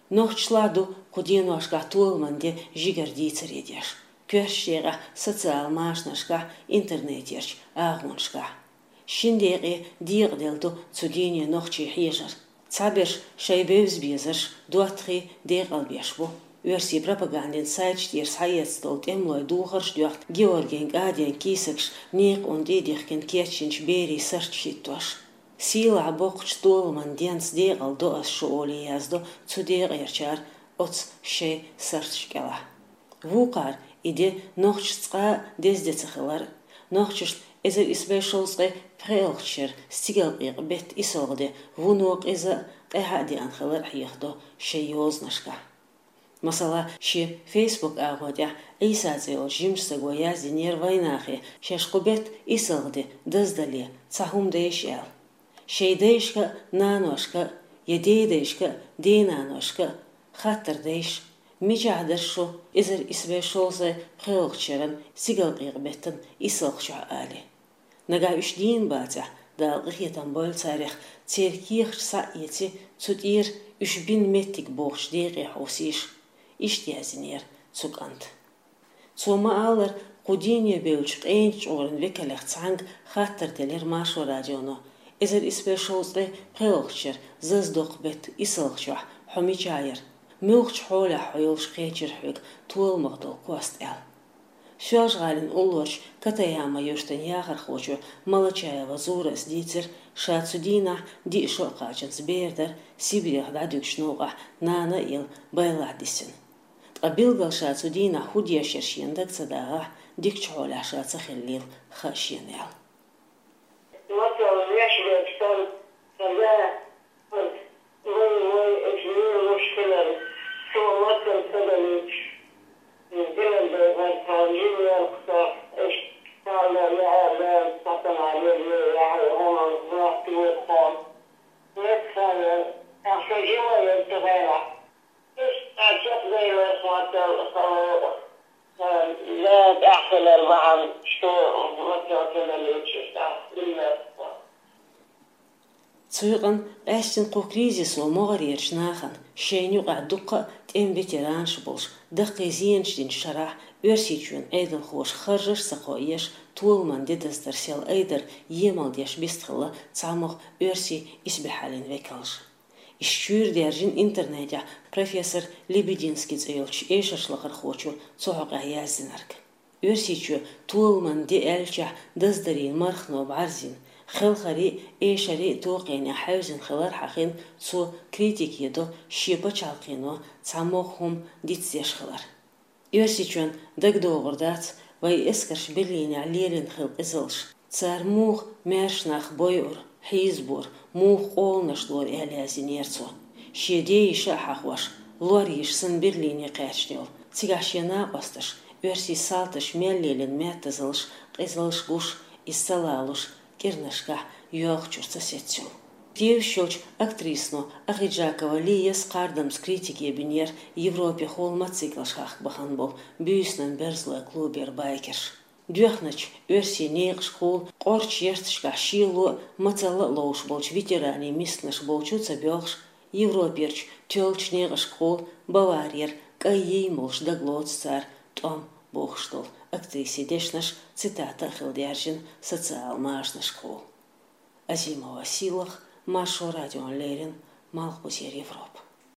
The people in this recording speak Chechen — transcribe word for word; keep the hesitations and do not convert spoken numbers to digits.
Нохчашлахь ду кху деношкахь толаман де жигара дийцаре деш. Коьртачу декъехь социал машанашкахь, интернетерчу агӀонашкахь. Шина декъе декъаделла ду цу дийне нохчий хьежар. Цхьаберш шайн бевза-безарш, доттагӀий декъалбеш бу. Оьрсийн пропагандин сайташ тӀера схьаэцна долу тӀемалойн духарш доьхна Георгин кӀадин кийсакаш, некъан тӀе а дихкина кечйинчу берийн сурташ хӀиттош. Сийлахь боккхачу толаман денца декъала до ас шу олий яздо цу декъерчара оцу шайн сурташ кӀелахь. Вукхара и де нохчашна цкъа а деза де ца хилар, нохчашна эзар исс бӀе шовзткъе пхоьалгӀачу шеран стигалкъекъа беттан исалгӀа де вуно къиза а, къаьхьа а деана хилар хьехадо шайн йозанашкахь. Масала, шен Facebook агӀон тӀехь Ӏийса цӀе йолчу жимачу стага яздинера вайнахе, шаьш кху беттан исалгӀа де даздале, цхьа хӀума дайша аьлла. Шайн дайшка а, наношка а, я дедайшка а, денаношка а хаттар дайша, мичахь дара шу эзар исс бӀе шовзткъе пхоьалгӀачу шеран стигалкъекъа беттан исалгӀачохь, олий. Нагахь уьш дийна бацахь, Дала къинхетам бойла царех, церан кехаташ схьа а эций, цу тӀера уьш бина меттиг бохучу декъе хьовсийша, иштта яздинера цу кӀанта. Цо ма-аллара, кху дийне бевллачу къематан чкъуран векалех цхьаьнга хаттар делира Маршо радионо: «Эзар исс бӀе шовзткъе пхоьалгӀачу шеран зазадоккху беттан исалгӀачохь хьо мичахь яра? Муьлхачу хьолехь хьо йолуш кхечира хьоьга толамах долу кост?» — аьлла. Соьлжа-ГӀалин уллорчу Катаяма юьртан яхархочо Малачаева Зурас дийцира, ша цу дийнахь диъ шо а кхачанца бер дара, Сибрех дӀадуьгучу новкъахь нана а елла, байлахь дисина. Ткъа билггал ша цу дийнахь хӀун дешара шена дага ца дагӀахь, дикачу хьолехь ша ца хиллийла хаьа шена аьлла. Мацалла леш верг санна, сан да, ас вай, вай, ас вен луш хилар, со мацалла ца далуьйтуш, иза динан дайхьар тхьамма жин яьлла кхузахь, ас царна яа, яа, цхьа санна леллера, яхьа, хӀума, вахт ву тхьамма. Мет санна, ахьа сан жима яра цу хенахь. Иштта чекхдевлла хӀоттал хало, сан да тӀаьххилар бахьана, шу мацалла ца далуьйтуш, тӀаккха хилла. Цу юкъана къаьстина кху кризисо могӀарерчу нахана, шайна юкъахь дуккха а тӀеман ветеранаш болуш, даккхий зенаш динчу шарахь, Оьрсийчоьнан Ӏедалхоша харжаш а ца кхоъеш, толаман де даздар сел айдар емал деш вистхилла цхьамогӀа оьрсийн исбаьхьаллин векалш. Иштта чуьйра даьржина интернетехь профессор Лебединский цӀе йолчу эшаршлакхархочо цу хьокъехь яздинарг. Оьрсийчоь толаман де аьллачохь даздарийн мархано бӀарзйина, хелхарий а, эшарий а тохкъенехь хьаьвзина хилар хьахийна, цо критике до шен пачхьалкхено цхьамогӀа хӀума дицдеш хилар. Оьрсийчоьнна дагадогӀур дац, вайн эскарш Берлинехь лелийна хилла къизаллаш, цара муха маьрша нах бойура, хьийзабора, муха къоланаш лора аьлла яздинера цо. Шен дейиша а хьахош, лор йиш санна Берлине кхаьчна йолу, цигахь шен накъосташ, оьрсийн салташ мел лелийна маьттазаллаш, къизаллаш гуш, иза ца лалуш, кӀирнашкахь йоьлхучуьра ца сецна йолу. Тевжаш йолчу актрисано Ахиджакова Лияс кхардамца критике бинера Европехула мотоциклаш хахка бахана болу буьйсанан берзалойн клубера байкерш. Доьхначу оьрсийн некъашкахула, къорчу ярташкахь шело а, мацалла а ловш болчу ветеранийн мистанаш болчу ца боьлхуш, Европерчу тоьллачу некъашкахула, Баварера кӀайн йийна болуш дагалоцу цара тӀом бохуш долу актрисин дешнаш, цитата а хилла даьржина социал машанашкахула. Азимова Сийлаха, Маршо радиона леррина, Малхбузера Европа.